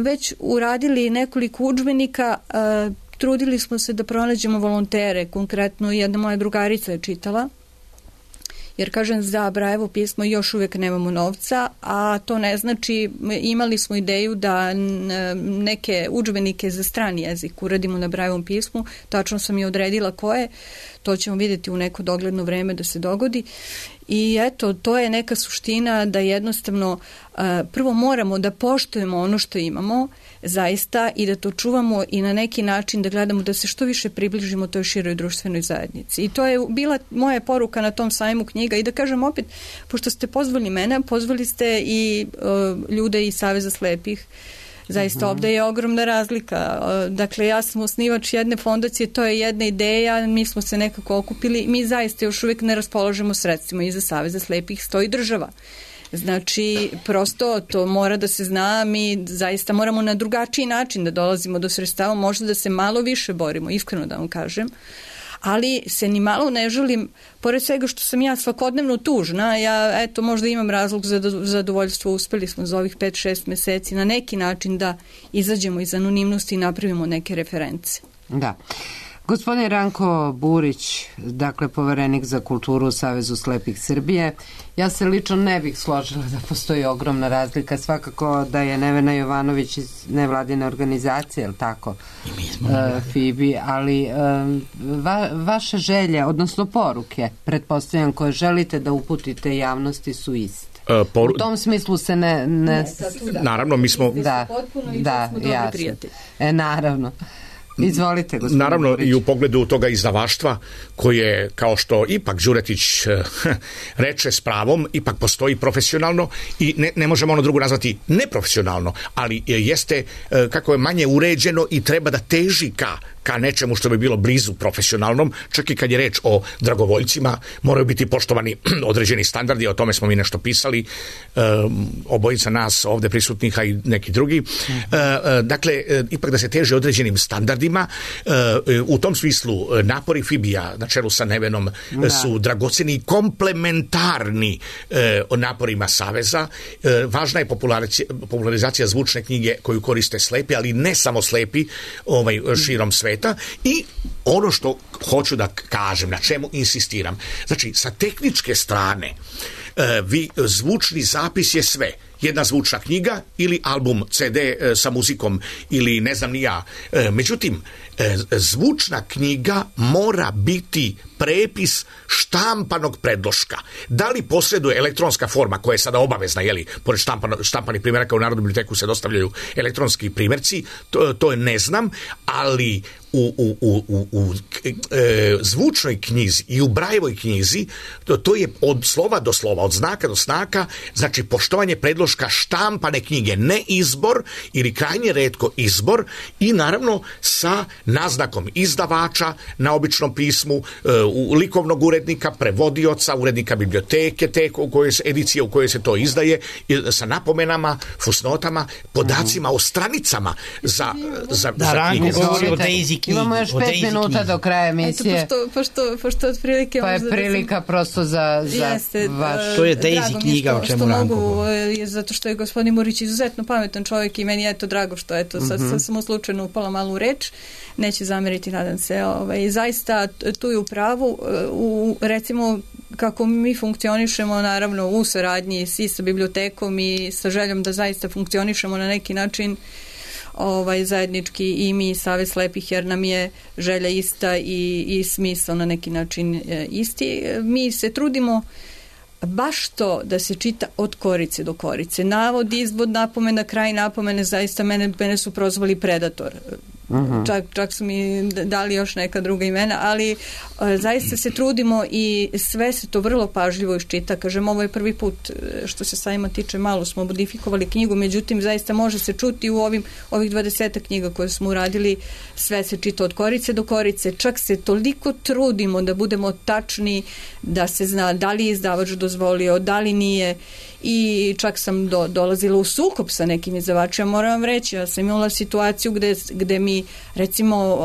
već uradili nekoliko udžbenika, trudili smo se da pronađemo volontere, konkretno jedna moja drugarica je čitala, jer kažem, za Brajevo pismo još uvijek nemamo novca, a to ne znači, imali smo ideju da neke udžbenike za strani jezik uradimo na Brajevom pismu, tačno sam i odredila koje, to ćemo vidjeti u neko dogledno vreme da se dogodi. I eto, to je neka suština da jednostavno prvo moramo da poštujemo ono što imamo zaista i da to čuvamo i na neki način da gledamo da se što više približimo toj široj društvenoj zajednici. I to je bila moja poruka na tom sajmu knjiga. I da kažem opet, pošto ste pozvali mene, pozvali ste i ljude iz Saveza slepih. Zaista ovdje je ogromna razlika. Dakle, ja sam osnivač jedne fondacije, to je jedna ideja, mi smo se nekako okupili, mi zaista još uvijek ne raspolažemo sredstvima, iza Saveza slepih stoji država. Znači, prosto to mora da se zna, mi zaista moramo na drugačiji način da dolazimo do sredstava, možda da se malo više borimo, iskreno da vam kažem, ali se ni malo ne želim, pored svega što sam ja svakodnevno tužna, ja eto možda imam razlog za zadovoljstvo, uspeli smo za ovih 5-6 meseci na neki način da izađemo iz anonimnosti i napravimo neke reference. Da. Gospodin Ranko Burić, dakle poverenik za kulturu u Savezu slepih Srbije, ja se lično ne bih složila da postoji ogromna razlika, svakako da je Nevena Jovanović iz nevladine organizacije, jel tako, FIBI, ali vaše želje, odnosno poruke, pretpostavljam koje želite da uputite javnosti su iste. U tom smislu se ne... Naravno, mi smo... Da, jasno. Naravno. Izvolite, gospodin Naravno, Burić. I u pogledu toga izdavaštva koje, kao što ipak Đuretić reče s pravom, ipak postoji profesionalno i ne možemo ono drugo nazvati neprofesionalno, ali jeste, kako je manje uređeno i treba da teži ka nečemu što bi bilo blizu profesionalnom, čak i kad je reč o dragovoljcima, moraju biti poštovani određeni standardi, o tome smo mi nešto pisali, obojica nas ovdje prisutnih, a i neki drugi. Dakle, ipak da se teže određenim standardima, u tom smislu napori FIBI-a na čelu sa Nevenom su dragoceni i komplementarni naporima Saveza. Važna je popularizacija zvučne knjige koju koriste slepi, ali ne samo slepi, širom sveta. I ono što hoću da kažem, na čemu insistiram, znači sa tehničke strane zvučni zapis je sve. Jedna zvučna knjiga ili album CD sa muzikom ili ne znam ni ja. Međutim, zvučna knjiga mora biti prepis štampanog predloška. Da li posreduje elektronska forma koja je sada obavezna, jeli, pored štampanih primjeraka u Narodnoj biblioteku se dostavljaju elektronski primjerci, to ne znam, ali u zvučnoj knjizi i u Brajevoj knjizi to je od slova do slova, od znaka do znaka, znači poštovanje predloška biloška štampane knjige, ne izbor ili krajnje retko izbor, i naravno sa naznakom izdavača na običnom pismu, likovnog urednika, prevodioca, urednika biblioteke, edicije u kojoj se to izdaje, sa napomenama, fusnotama, podacima o stranicama za Ranko govori o Daisy knjigi. Imamo još 5 minuta do kraja emisije. Pošto otprilike... Pa je prilika prosto za vaš... To je Daisy knjiga, o čemu Ranko govori. Zato što je gospodin Murić izuzetno pametan čovjek i meni je to drago što je to. Sad sam slučajno upala malu reč. Neće zameriti, nadam se. Zaista tu je u pravu. Recimo, kako mi funkcionišemo, naravno, u saradnji i sa bibliotekom i sa željom da zaista funkcionišemo na neki način zajednički i mi Savez slepih, jer nam je želja ista i smisao na neki način isti. Mi se trudimo baš to da se čita od korice do korice. Navod, izvod, napomena, kraj napomene, zaista mene su prozvali predator. Čak su mi dali još neka druga imena, ali zaista se trudimo i sve se to vrlo pažljivo iščita. Kažem, ovo je prvi put što se sajma tiče, malo smo modifikovali knjigu, međutim zaista može se čuti u ovih 20 knjiga koje smo uradili, sve se čita od korice do korice, čak se toliko trudimo da budemo tačni, da se zna da li je izdavač dozvolio, da li nije, i čak sam dolazila u sukob sa nekim izdavačima. Moram vam reći, ja sam imala situaciju gde mi, recimo,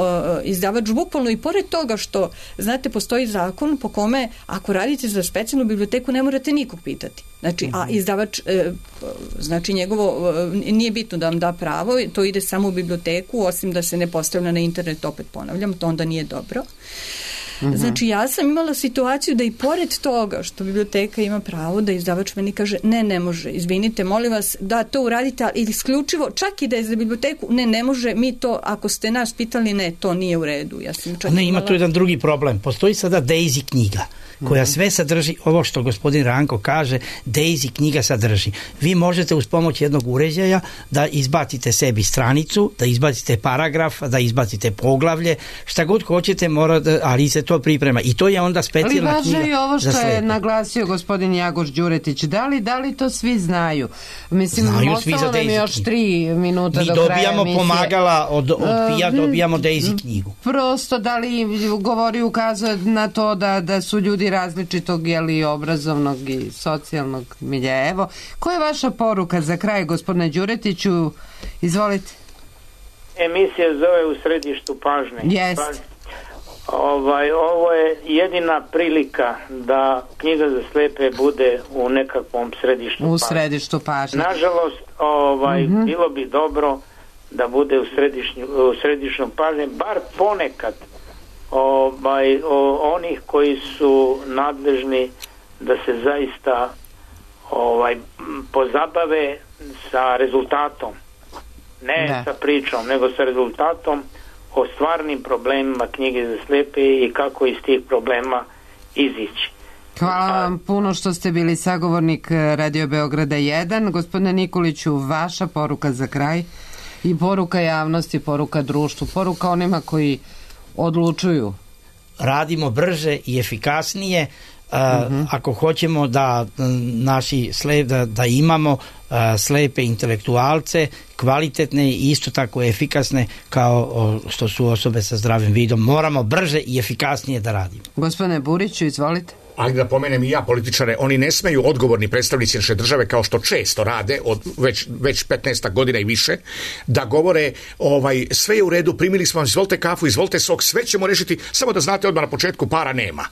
izdavač bukvalno, i pored toga što, znate, postoji zakon po kome ako radite za specijalnu biblioteku ne morate nikog pitati. Znači, a izdavač, znači njegovo, nije bitno da vam da pravo, to ide samo u biblioteku, osim da se ne postavlja na internet, opet ponavljam, to onda nije dobro. Znači, ja sam imala situaciju da i pored toga što biblioteka ima pravo, da izdavač meni kaže ne može, izvinite, molim vas da to uradite, ali isključivo, čak i da je za biblioteku, ne može, mi to, ako ste nas pitali, ne, to nije u redu. Ja sam čak ima tu jedan drugi problem. Postoji sada Daisy knjiga koja sve sadrži, ovo što gospodin Ranko kaže, Daisy knjiga sadrži. Vi možete uz pomoć jednog uređaja da izbacite sebi stranicu, da izbacite paragraf, da izbacite poglavlje, šta god hoćete, ali se to priprema. I to je onda specijalna knjiga. Ali važno je ovo što je naglasio gospodin Jagoš Đuretić. Da li to svi znaju? Mislim, ostalo nam još 3 minuta do kraja emisije. Mi dobijamo pomagala od PIA, dobijamo Daisy knjigu. Prosto, da li ukazuje na to da su ljudi različitog obrazovnog i socijalnog milja. Evo, koja je vaša poruka za kraj, gospodine Đuretiću? Izvolite. Emisija zove U središtu pažnje. Jest. Ovo je jedina prilika da knjiga za slepe bude u nekakvom središtu pažnje. U središtu pažnje. Nažalost, bilo bi dobro da bude u središnju pažnje, bar ponekad onih koji su nadležni da se zaista pozabave sa rezultatom, ne sa pričom, nego sa rezultatom o stvarnim problemima knjige za slepe i kako iz tih problema izići. Hvala vam puno što ste bili sagovornik Radio Beograda 1. Gospodine Nikoliću, vaša poruka za kraj i poruka javnosti, poruka društvu, poruka onima koji odlučuju. Radimo brže i efikasnije. Ako hoćemo da da imamo slepe intelektualce, kvalitetne i isto tako efikasne kao što su osobe sa zdravim vidom, moramo brže i efikasnije da radimo. Gospodine Buriću, izvolite. Ali da pomenem i ja političare, oni ne smeju, odgovorni predstavnici naše države, kao što često rade od već 15 godina i više, da govore sve je u redu, primili smo vam, izvolite kafu, izvolite sok, sve ćemo rešiti, samo da znate odmah na početku para nema.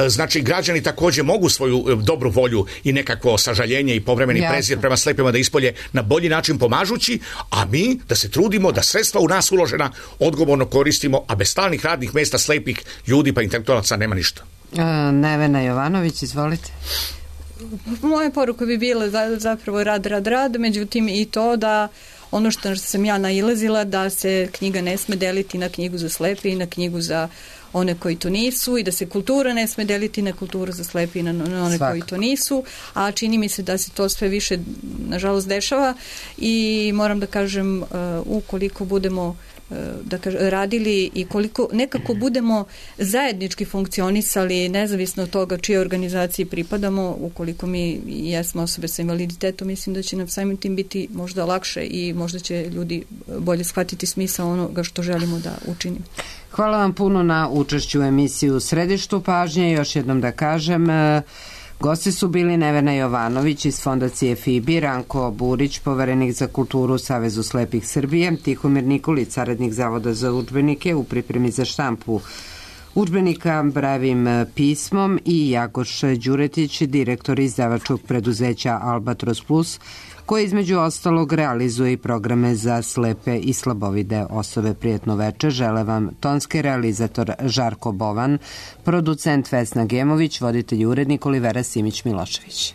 Znači, građani također mogu svoju dobru volju i nekakvo sažaljenje i povremeni prezir prema slepima da ispolje na bolji način pomažući, a mi da se trudimo da sredstva u nas uložena odgovorno koristimo, a bez stalnih radnih mesta slepih ljudi pa intelektualaca nema ništa. Nevena Jovanović, izvolite. Moja poruka bi bila zapravo rad, međutim i to da ono što sam ja nailazila, da se knjiga ne sme deliti na knjigu za slepe i na knjigu za one koji to nisu, i da se kultura ne sme deliti na kulturu za slepe i na one koji to nisu, a čini mi se da se to sve više nažalost dešava i moram da kažem, ukoliko budemo radili i koliko nekako budemo zajednički funkcionisali, nezavisno od toga čije organizaciji pripadamo, ukoliko mi jesmo osobe sa invaliditetom, mislim da će nam samim tim biti možda lakše i možda će ljudi bolje shvatiti smisao onoga što želimo da učinimo. Hvala vam puno na učešću u emisiju Središtu pažnje. Još jednom da kažem, gosti su bili Nevena Jovanović iz Fondacije FIBI, Ranko Burić, poverenik za kulturu u Savezu slepih Srbije, Tihomir Nikolić, saradnik Zavoda za udžbenike u pripremi za štampu udžbenika Brajevim pismom i Jagoš Đuretić, direktor izdavačkog preduzeća Albatros Plus, koji između ostalog realizuje i programe za slepe i slabovide osobe. Prijetno veče, žele vam tonski realizator Žarko Bovan, producent Vesna Gemović, voditelj i urednik Olivera Simić-Milošević.